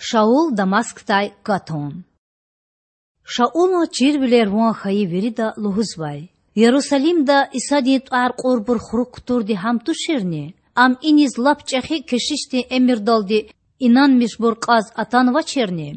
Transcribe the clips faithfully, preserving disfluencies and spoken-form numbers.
Шаул Дамаскдай катун. Шаулан чирвилер ван хьайи вирида лугьузвай: Ярусалимда Исадин тІвар кьурбур хурук кутурди гьам туширни? Ам иниз лап чІехи кешишдин эмирдалди инанмишбур кьаз атанвачирни?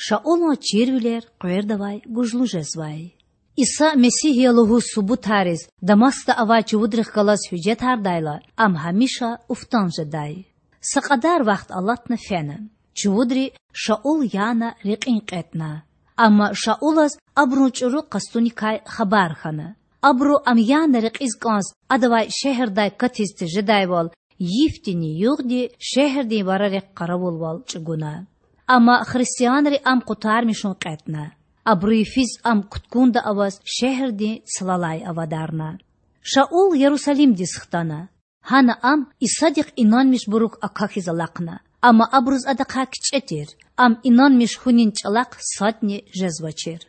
Шаулан чирвилер къвердавай гужлу жезвай. Иса Месигь я лугьуз субутариз Дамаскда авай чувудрихъ галаз гьуьжетардайла, ам гьамиша уфтан жедай. Са кьадар вахт алатна фена. Чувудри Шаул яна рекьин кьетІна. Амма Шаулаз абурун чІуру къастуникай хабар хьана. Абуру ам яна рекьиз кІанз адавай шегьердай катиз тежедайвал, йифдини-югъди шегьердин варарихъ къаравулвал чІугуна. Амма христианри ам къутармишун кьетІна. Абуру йифиз ам кутгунда аваз шегьердин цлалай авадарна. Шаул Ярусалимдиз хтана. Гьана ам Исадихъ инанмишбурук акахьиз алахъна, амма абуруз адахъай кичІе тир, ам инанмиш хьунин чІалахъ садни жезвачир.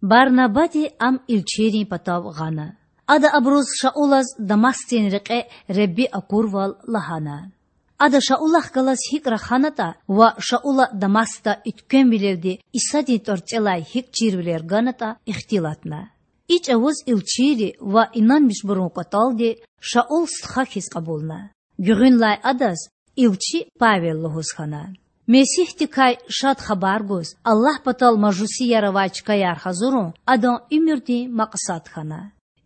Барнабади ам илчийрин патав гъана. Ада абуруз Шаулаз Дамаскдин рекье Худа акурвал лагьана. Ада Шаулахъ галаз гьикІ раханатІа ва Шаула Дамаскда уьтквемвилелди Исадин тІварцІелай гьикІ чирвилер ганатІа ихтилатна. И чІавуз илчийри ва инанмишбурун кІватІалди Шаул стха хьиз кьабулна. Гуьгъуьнлай адаз илчи Павел лугьуз хьана. Месигьдикай Шад Хабар гуз Аллагь патал мажусияр авай чкаяр гьазурун адан уьмуьрдин макьсад хьана.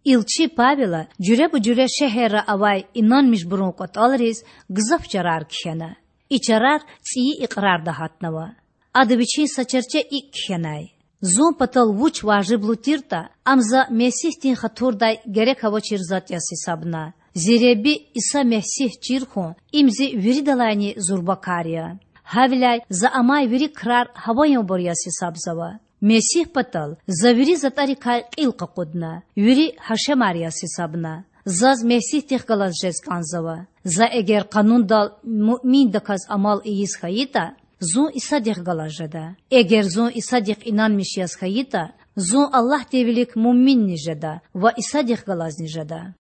Илчи Павела жуьреба-жуьре шегьерра авай инанмишбурун кІватІалриз гзаф чарар кхьена. И чарар цІийи икьрарда гьатнава. Ада вичин са чарче икІ кхьенай: Зун патал вуч важиблу тиртІа, ам за Месигьдин хатурдай герек авачир затІ яз гьисабна. Зи Худа Иса Месигь чир хьун— им зи виридалайни зурба кар я. Гьавиляй за амай вири крар гьаваянбур яз гьисабзава. Месигь патал за вири затІарикай кьил къакъудна, вири гьашемар яз гьисабна. Заз Месигьдихъ галаз жез кІанзава. За эгер къанундал муъминдаказ амал ийиз хьайитІа, зун Исадихъ галаз жеда. Эгер зун Исадихъ инанмиш яз хьайитІа, зун Аллагьдин вилик муъминни жеда ва Исадихъ галазни жеда.